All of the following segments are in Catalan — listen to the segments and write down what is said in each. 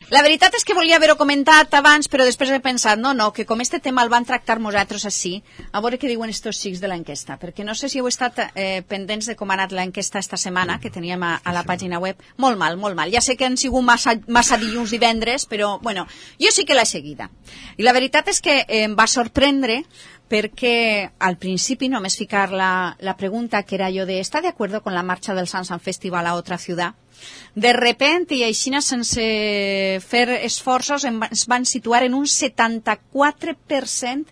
La veritat és que volia haver-ho comentat abans, però després he pensat, no, que com este tema el van tractar nosaltres així, a veure què diuen estos xics de l'enquesta, perquè no sé si heu estat pendents de com ha anat l'enquesta esta setmana, que teníem a la pàgina web. Molt mal. Ja sé que han sigut massa dilluns, divendres, però, bueno, jo sí que l'he seguida. I la veritat és que em va sorprendre perquè al principi només ficar la pregunta que era jo de ¿está de acuerdo con la marcha del Sansan Festival a otra ciudad? De repente, i així sense fer esforços, es van situar en un 74%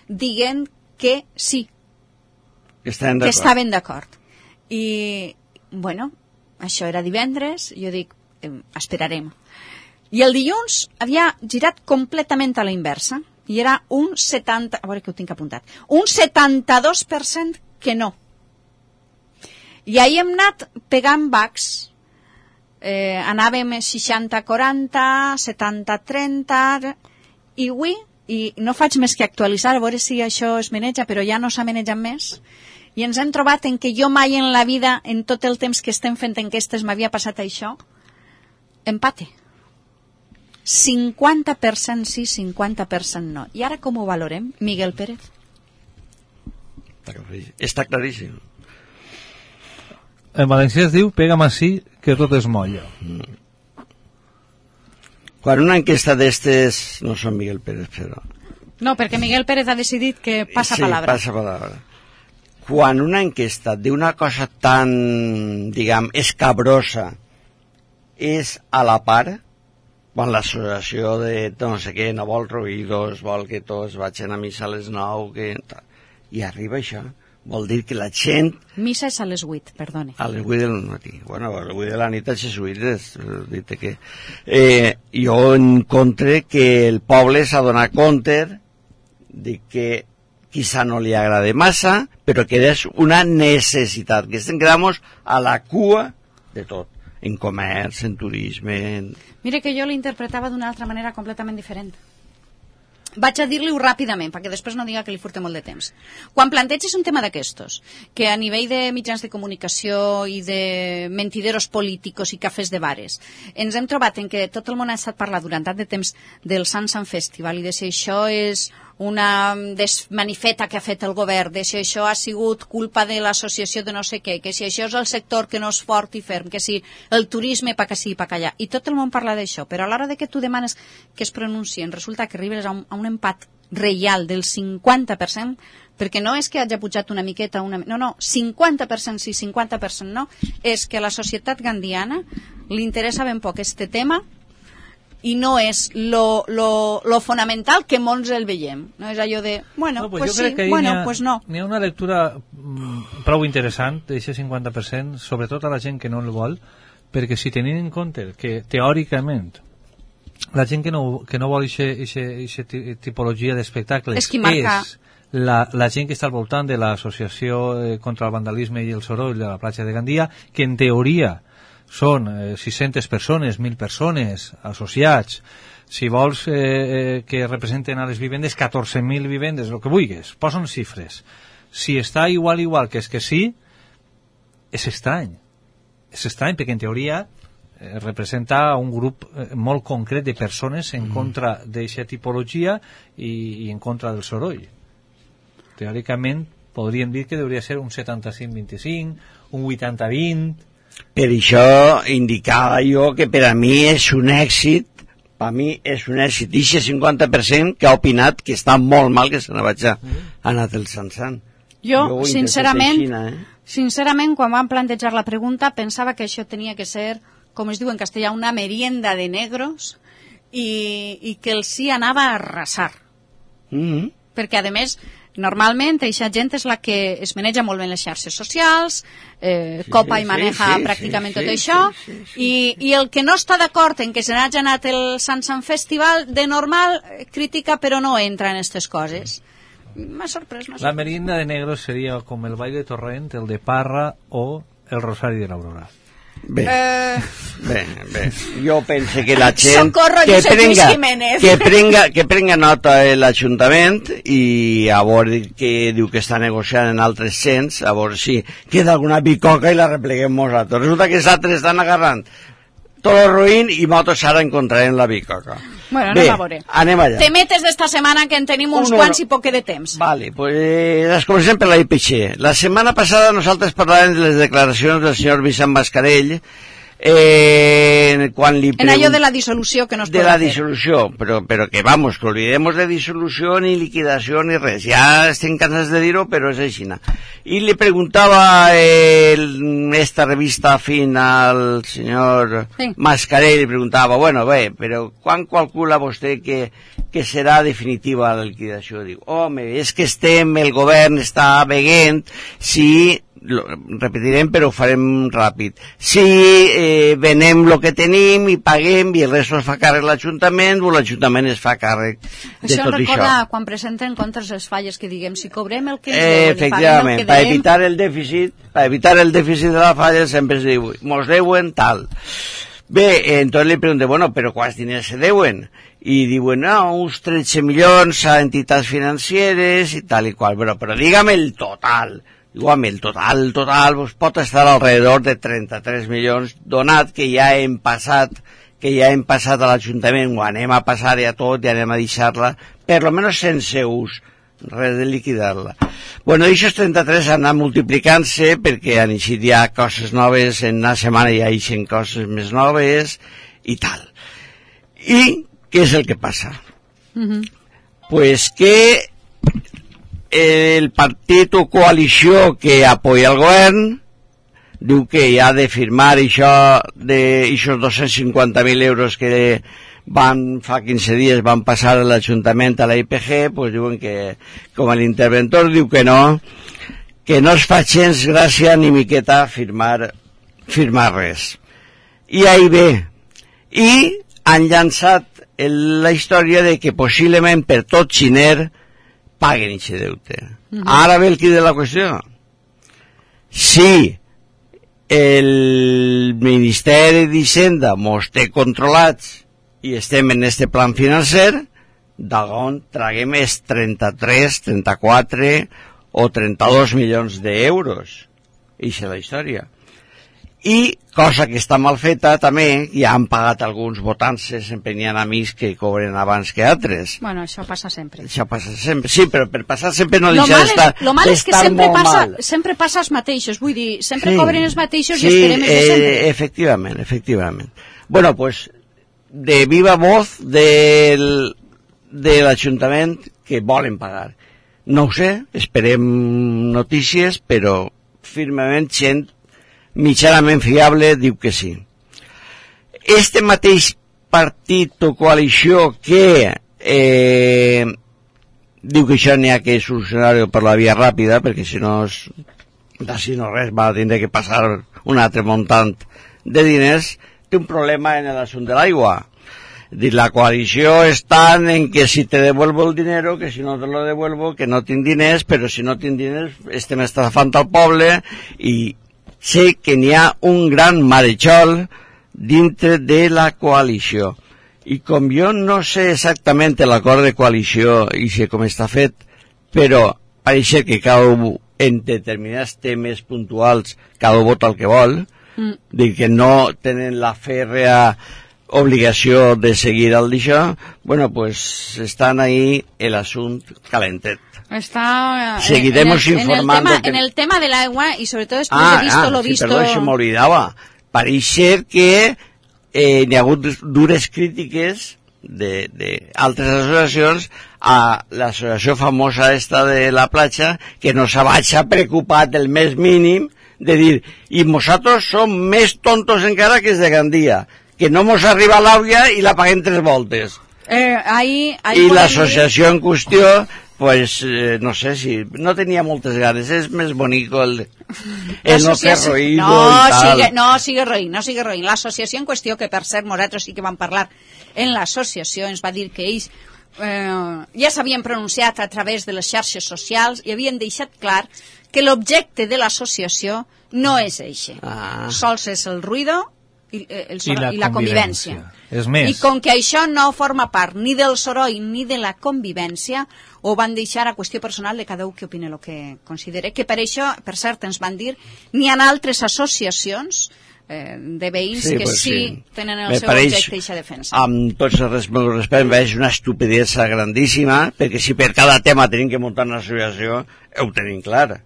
dient que sí, que estaven d'acord. I, bueno, això era divendres, jo dic, esperarem. I el dilluns havia girat completament a la inversa, i era un 70%, a veure que ho tinc apuntat, un 72% que no. I ahir hem anat pegant bacs, anàvem 60-40, 70-30, i avui, i no faig més que actualitzar, a veure si això es maneja, però ja no s'ha manejat més, i ens hem trobat en que jo mai en la vida, en tot el temps que estem fent enquestes, m'havia passat això, empate. 50% sí, 50% no. I ara com ho valorem, Miguel Pérez? Està claríssim. En valencià es diu pega'm així que tot es molla. Quan una enquesta d'estes, no són Miguel Pérez, però... No, perquè Miguel Pérez ha decidit que passa palabra. Sí, passa palabra. Quan una enquesta d'una cosa tan, diguem, escabrosa és a la part, quan l'associació de no sé què no vol ruïdos, vol que tots vagin a missa a les 9, i arriba això, vol dir que la gent... Missa és a les 8, perdone. A les 8 del matí. Bueno, a les 8 de la nit a les 8 dit que... jo encontre que el poble s'ha donat compte de que quizá no li agrada massa, però que és una necessitat, que estem quedant a la cua de tot, en comerç, en turisme... Mire que jo l'interpretava d'una altra manera completament diferent. Vaig a dir-li-ho ràpidament, perquè després no diga que li furte molt de temps. Quan planteges un tema d'aquestos, que a nivell de mitjans de comunicació i de mentideros políticos i cafès de bares, ens hem trobat en que tot el món ha estat parlant durant tant de temps del Sansan Festival i de si això és una desmanifeta que ha fet el govern, de si això ha sigut culpa de l'associació de no sé què, que si això és el sector que no és fort i ferm, que si el turisme pa que sí i pa allà. I tot el món parla d'això, però a l'hora de que tu demanes que es pronuncien, resulta que arribes a un empat reial del 50%, perquè no és que hagi pujat una miqueta, no, 50% sí, 50% no, és que a la societat gandiana li interessa ben poc este tema i no és lo fonamental que molts el veiem. No és allò de, bueno, pues sí, bueno, pues no. N'hi ha una lectura prou interessant d'aquest 50%, sobretot a la gent que no el vol, perquè si tenim en compte que teòricament la gent que no vol aquesta tipologia d'espectacles és la gent que està al voltant de l'associació contra el vandalisme i el soroll de la platja de Gandia, que en teoria són 600 persones, 1.000 persones associats. Si vols que representen a les vivendes, 14.000 vivendes, el que vulguis, posen xifres. Si està igual que és que sí, és estrany. És estrany perquè en teoria representa un grup molt concret de persones en contra d'aquesta tipologia i en contra del soroll. Teòricament podríem dir que hauria ser un 75-25, un 80-20. Per això indicava jo que per a mi és un èxit, per a mi és un èxit, i 50% que ha opinat que està molt mal que se n'ha anat el Sansan. Jo sincerament, quan vam plantejar la pregunta, pensava que això tenia que ser, com es diu en castellà, una merienda de negros i que el sí anava a arrasar. Perquè, a més, normalment aquesta gent és la que es maneja molt bé en les xarxes socials, copa i maneja pràcticament tot això, i el que no està d'acord en que se n'hagi anat el Sansan Festival, de normal critica però no entra en aquestes coses. M'ha sorprès. La merienda de negros seria com el ball de Torrent, el de Parra o el Rosari de l'Aurora. Bé, jo penso que la gent que prenga nota l'Ajuntament i a veure què diu que està negociant en altres cents, a veure si queda alguna bicoca i la repleguem nosaltres. Resulta que els altres estan agarrant Todo ruïn i motos ara encontrarem la bicoca. Bueno, Bé, anem a veure. Anem allà. Temetes d'esta setmana que en tenim uns quants i poc de temps. Vale, pues les comencem per la IPC. La setmana passada nosaltres parlàvem de les declaracions del senyor Vicent Mascarell quan li en allò de la dissolució que no es de podrà la dissolució, però que vamos, que olvidemos de dissolució ni liquidació ni res, ja estem cansats de dir-ho, però és així. I li preguntava esta revista Fin al senyor Mascarell, li preguntava, bueno, bé, però quan calcula vostè que serà definitiva la liquidació? Diu, home, és que el govern està veient si repetirem però ho farem ràpid, si venem el que tenim i paguem i el resto es fa càrrec l'Ajuntament o l'Ajuntament es fa càrrec de això tot recorda això. Quan presenten contres les falles que diguem si cobrem el que ens deuen efectivament, per evitar el dèficit de la falla sempre es diu mos deuen tal. Bé, entonces li pregunté, bueno, però quants diners se deuen? I diuen, no, uns 13 milions a entitats financeres i tal i qual, però dígame el total. Igual, el total pues, pot estar alrededor de 33 milions, donat que ja hem passat a l'Ajuntament, o anem a passar ja tot i anem a deixar-la, per lo menos sense ús, res de liquidar-la. Bueno, aquests 33 han anat multiplicant-se perquè han eixit ja coses noves, en una setmana ja eixen coses més noves i tal. I què és el que passa? Pues que el partit o coalició que apoya el govern diu que ha de firmar això d'aixòs 250.000 euros que fa 15 dies van passar a l'Ajuntament a la IPG, pues diuen que, com l'interventor diu que no es fa gens gràcia ni miqueta firmar res. I ahí ve. I han llançat la història de que possiblement per tot xiner paguen aquest deute. Ara ve el quid de la qüestió. Si el Ministeri d'Hisenda mos té controlats i estem en este plan financer, d'on traguem els 33, 34 o 32 milions d'euros. Ixa és la història. I, cosa que està mal feta també, ja han pagat alguns votants, sempre n'hi ha amics que cobren abans que altres. Bueno, això passa sempre. Això passa sempre, sí, però per passar sempre no deixa d'estar lo mal és que sempre passa els mateixos, vull dir, sempre cobren els mateixos i esperem els de sempre. Efectivament. Bueno, pues, de viva voz de l'Ajuntament que volen pagar. No ho sé, esperem notícies, però firmament gent mitjanament fiable diu que sí. Este mateix partit o coalició que diu que això n'hi ha que solucionar-ho per la via ràpida, perquè si no d'ací no res va tindre que passar un altre muntant de diners, té un problema en l'assumpte de l'aigua. La coalició està en que si te devuelvo el dinero, que si no te lo devuelvo, que no tinc diners, però si no tinc diners estem estafant al poble i sé que n'hi ha un gran marejol dintre de la coalició. I com jo no sé exactament l'acord de coalició i sé com està fet, però pareix que cada en determinats temes puntuals cada vota el que vol, dir que no tenen la fèrrea obligació de seguir al d'això, bueno, pues estan ahí el assumpte calentet. Seguiremos informando en el tema del agua y sobre todo después de visto lo visto. Perdó, se m'oblidava. Pareix ser que n'hi ha hagut dures crítiques d'altres associacions a l'associació famosa esta de la platja que no s'ha preocupat el més mínim de dir, i nosaltres som més tontos encara que els de Gandia, que no mos arriba l'àvia i la paguem 3 voltes. I l'associació en qüestió pues no sé si no tenia moltes ganes, és més bonic el no fer roïdo i tal. No sigue roïn. L'associació en qüestió, que per cert nosaltres sí que vam parlar en l'associació, ens va dir que ells ja s'havien pronunciat a través de les xarxes socials i havien deixat clar que l'objecte de l'associació no és eixe. Sols és el ruïdo i la convivència. És més. I com que això no forma part ni del soroll ni de la convivència, ho van deixar a qüestió personal de cada un que opina el que considera. Que per això, per cert, ens van dir, n'hi ha altres associacions de veïns que pues sí tenen el Me seu pareix, objecte i aquesta defensa. amb tots els meus respectes, em pareix una estupidesa grandíssima, perquè si per cada tema tenim que muntar una associació, ho tenim clar.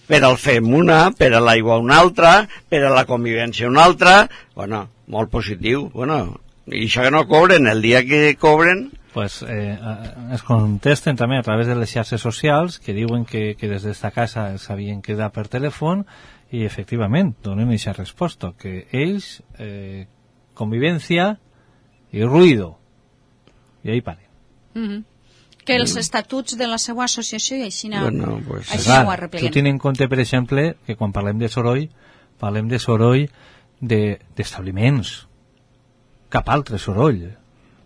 Per al fem una, per a l'aigua una altra, per a la convivència una altra, bueno, molt positiu, bueno, i això que no cobren, el dia que cobren... Pues es contesten també a través de les xarxes socials que diuen que des d'esta casa s'havien quedat per telèfon i efectivament donen aquesta resposta, que ells convivència i ruïdo, i ahí paren. Que els estatuts de la seva associació i així no, Bueno, pues, així no ho arrepleguen. Tu tens en compte, per exemple, que quan parlem de soroll d'establiments, cap altre soroll,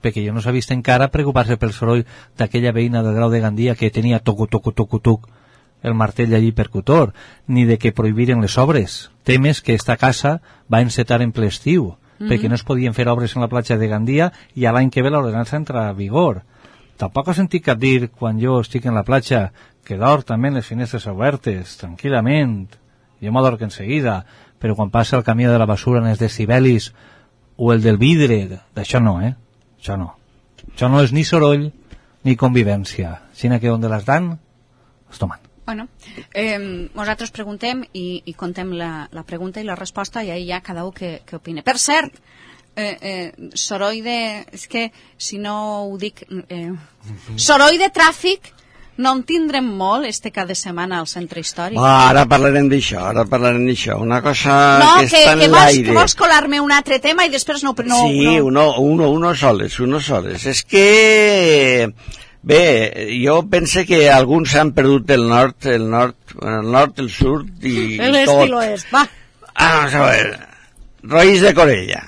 perquè jo no s'ha vist encara preocupar-se pel soroll d'aquella veïna del Grau de Gandia que tenia toc el martell allí percutor, ni de que prohibiren les obres, temes que esta casa va encetar en ple estiu, perquè no es podien fer obres en la platja de Gandia i a l'any que ve l'ordenança entra a vigor. Tampoc he sentit cap dir, quan jo estic en la platja, que dorm també les finestres obertes, tranquil·lament, jo m'adorc en seguida, però quan passa el camí de la basura en els decibelis o el del vidre, d'això no, Això no. Això no és ni soroll ni convivència, sinó que on les dan, es tomen. Bueno, nosaltres preguntem i contem la pregunta i la resposta i ahí ja cada un que opine. Per cert, soroll de... És que, si no ho dic... soroll de tràfic no en tindrem molt este cap de setmana al centre històric. Ara parlarem d'això, Una cosa no, que està en l'aire. Que vols colar-me un altre tema i després no... Sí, uno soles. És que... Bé, jo pense que alguns han perdut el nord, el sud i tot. L'est, va. Vamos a ver. Rolls de Corella.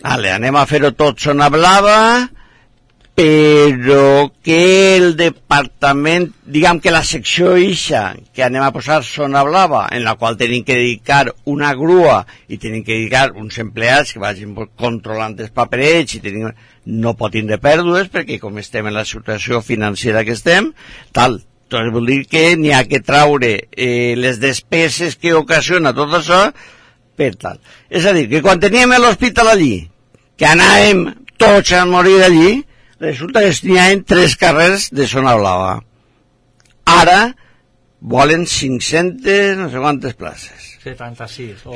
Vale, anem a fer-ho tot zona blava, però que el departament, diguem que la secció ixa, que anem a posar zona blava, en la qual tenim que dedicar una grua i tenim que dedicar uns empleats que vagin controlant els paperets i tenim... no pot tindre pèrdues perquè com estem en la situació financera que estem, tal. Doncs vol dir que n'hi ha que traure les despeses que ocasiona tot això per tal. És a dir, que quan teníem l'hospital allí, que anàvem tots a morir allí, resulta que n'hi ha 3 carrers de zona blava. Ara volen 500 no sé quantes places. 76.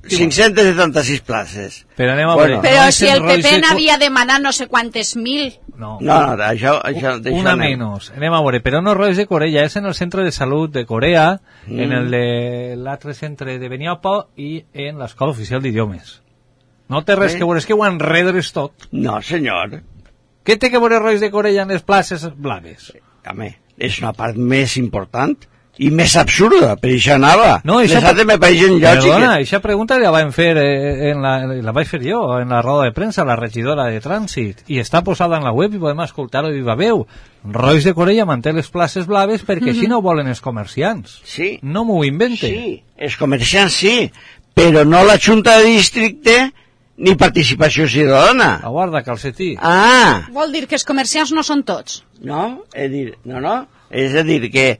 576 places. Però anem a veure. Però si el PP n'havia demanat no sé quantes mil. No, això una menys. Anem a veure, però no Rolls de Corella, és en el centre de salut de Corea, en el de l'altre centre de Beniopo i en l'escola oficial d'idiomes. No té res que veure, és que ho enredres tot. No, senyor. Què té que veure Rolls de Corella en les places blaves? Home, és una part més important i més absurda, per això anava. No, les altres me pareixen lògiques. Perdona, aquesta pregunta la vam fer la vaig fer jo en la roda de premsa, la regidora de trànsit, i està posada en la web i podem escoltar-ho i va veu. Rolls de Corella manté les places blaves perquè així no volen els comerciants. Sí. No m'ho invente. Sí, els comerciants sí, però no la Junta de Districte ni participació ciutadana. Aguarda, calcetí. Vol dir que els comerciants no són tots. No, és a dir que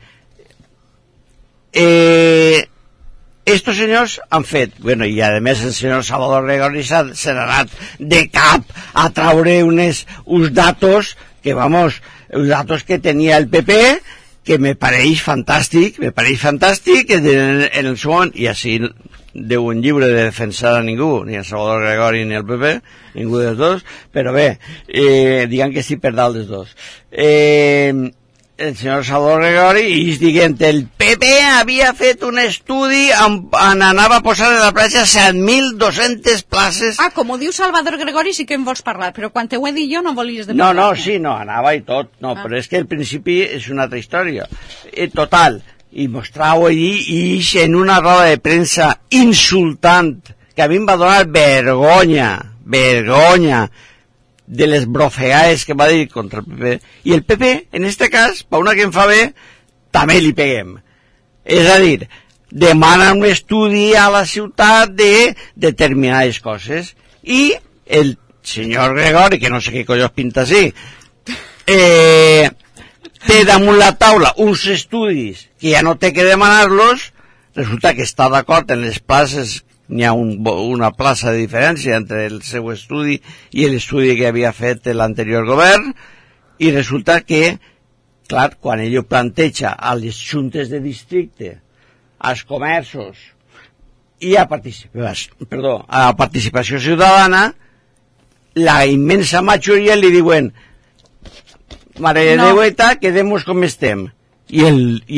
estos senyors han fet, bueno, i a més el senyor Salvador Gregori se n'ha anat de cap a traure uns datos que, vamos, uns datos que tenia el PP, que me pareix fantàstic, en el seu moment, i així deuen lliure de defensar a ningú, ni el Salvador Gregori ni el PP, ningú dels dos, però bé, diguem que estic per dalt dels dos. El senyor Salvador Gregori i diguent el PP havia fet un estudi on anava a posar en la platja 7.200 places. Com ho diu Salvador Gregori sí que en vols parlar, però quan te ho he dit jo no volies de parlar. No, anava i tot, però és que al principi és una altra història. Total, i mostrau allí i en una roda de premsa insultant que a mi em va donar vergonya de les brofegades que va dir contra el PP, i el PP, en este cas, per una que em fa bé, també li peguem. És a dir, demana un estudi a la ciutat de determinades coses, i el senyor Gregori, que no sé què collons pinta així, té damunt la taula uns estudis que ja no té que demanar-los, resulta que està d'acord en les places n'hi ha una plaça de diferència entre el seu estudi i l'estudi que havia fet l'anterior govern, i resulta que, clar, quan ell ho planteja a les juntes de districte, als comerços i a participació ciutadana, la immensa majoria li diuen mare de Déueta, quedemos com estem. I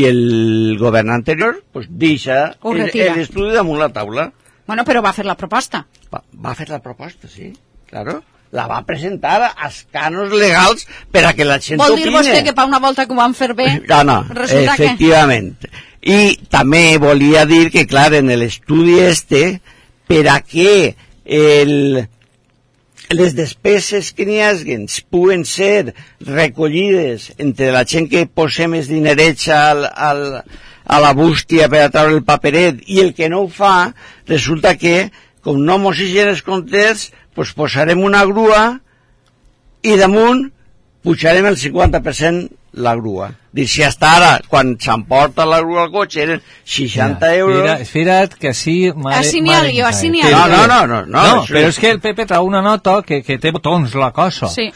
el govern anterior pues, deixa l'estudi damunt la taula. Bueno, però va fer la proposta. Va fer la proposta, sí, claro. La va presentar als cànons legals per a que la gent opine. Vol dir vostè que per una volta que ho van fer bé? No, efectivament. I també volia dir que, clar, en l'estudi per a què les despeses que n'hi hagin puguen ser recollides entre la gent que posem els dinerets a la bústia per a treure el paperet i el que no ho fa, resulta que, com no mos higien els comptes, pues posarem una grua i damunt pujarem el 50% la grua. Dir, si hasta ara, quan s'emporta la grua al cotxe, eren 60 euros... Espera't, que així... Així n'hi ha jo, així n'hi ha jo. No, però és que el Pepe trau una nota que té botons la cosa. Sí.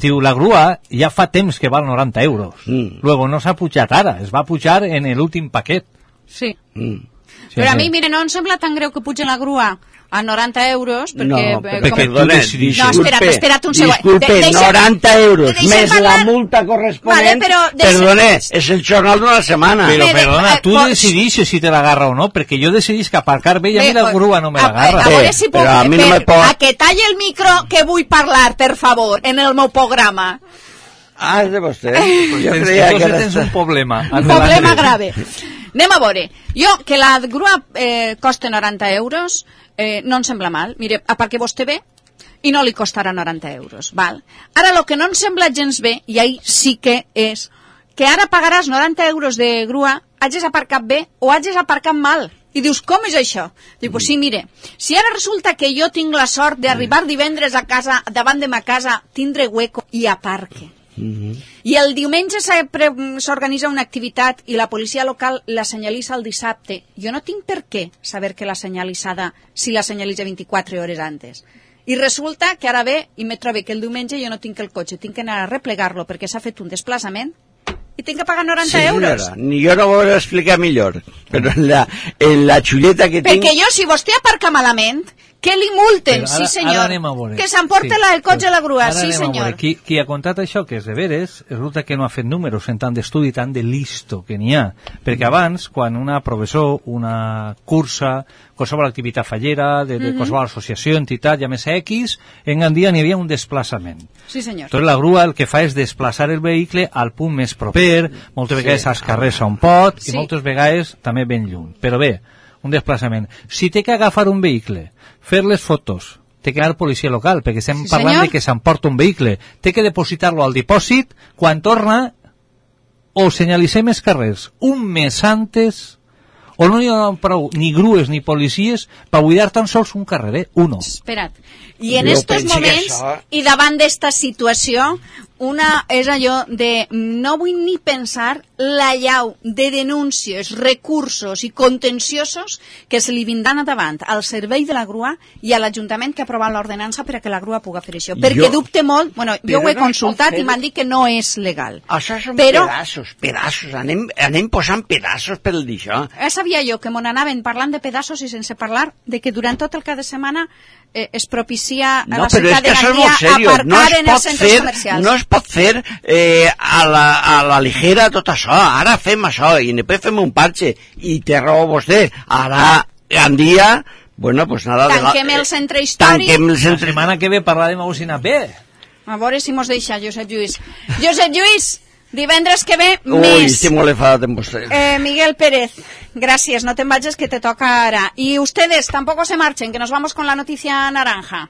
Diu, la grua ja fa temps que val 90 euros. Luego no s'ha pujat ara, es va pujar en l'últim paquet. Sí. Però a mi, mire, no em sembla tan greu que puja la grua a 90 euros, perquè... No, perdona, espera't un segon. Disculpe, 90 euros, més la multa corresponent, perdona, és el jornal d'una setmana. Però, perdona, tu decidixes si te l'agarra o no, perquè jo decidix que aparcar bé i a mi la grua no me l'agarra. A veure si puc, a que talli el micro que vull parlar, per favor, en el meu programa. Ah, és de vostè. Jo creia que tens un problema. Un problema grave. Anem a veure. Jo, que la grua costa 90 euros, no em sembla mal. Mire, a part que vostè ve i no li costarà 90 euros. Val? Ara, el que no em sembla gens bé, i ahí sí que és, que ara pagaràs 90 euros de grua, hagis aparcat bé o hagis aparcat mal. I dius, com és això? Diu, pues sí, mire, si ara resulta que jo tinc la sort d'arribar divendres a casa, davant de ma casa, tindre hueco i aparque. I el diumenge s'organitza una activitat i la policia local la senyalitza el dissabte. Jo no tinc per què saber que la senyalitzada, si la senyalitza 24 hores antes. I resulta que ara ve i me trobo que el diumenge jo no tinc el cotxe, tinc que anar a replegar-lo perquè s'ha fet un desplaçament i tinc que pagar 90 euros. Ni jo no ho vull explicar millor, però en la xuleta que tinc... Perquè jo, si vostè aparca malament, que li multen, sí senyor, que s'emporta el cotxe a la grua, sí senyor. Qui ha contat això, que és de veres, resulta que no ha fet números en tant d'estudi, tant de listo que n'hi ha, perquè abans, quan una professor, una cursa, qualsevol activitat fallera, de qualsevol associació, entitat, llamesa X, en Gandia n'hi havia un desplaçament. Sí senyor. Tot la grua el que fa és desplaçar el vehicle al punt més proper, moltes vegades als carrers on pot, i moltes vegades també ben lluny. Però bé, un desplaçament. Si té que agafar un vehicle, fer les fotos, té que anar a policia local, perquè estem parlant de que s'emporta un vehicle, té que depositar-lo al dipòsit, quan torna, o senyalitzem els carrers un mes antes, o no hi ha prou ni grues ni policies per buidar tan sols un carrer, uno. Espera't. I en estos moments, i davant d'esta situació, una és allò de no vull ni pensar la llau de denúncies, recursos i contenciosos que se li vindran a davant al servei de la grua i a l'Ajuntament que ha aprovat l'ordenança per a que la grua pugui fer això. Perquè dubte molt, bueno, jo ho he consultat i m'han dit que no és legal. Això són pedaços, anem posant pedaços per d'això. Sabia jo que m'on anaven parlant de pedaços i sense parlar de que durant tot el cap de setmana es propicia a la ciutat de Gandia aparcar en els centres comercials. No es pot fer a la ligera tot això. Ara fem això i després fem un parche i té raó vostè. Ara Gandia, bueno, pues nada. Tanquem el centre històric. La setmana que ve parlarem a Usina B. A veure si mos deixa Josep Lluís. Josep Lluís, divendres que ve, més. Ui, estic molt enfadat amb vostè. Miguel Pérez, gracias, no te vayas que te toca ahora. Y ustedes tampoco se marchen, que nos vamos con la noticia naranja.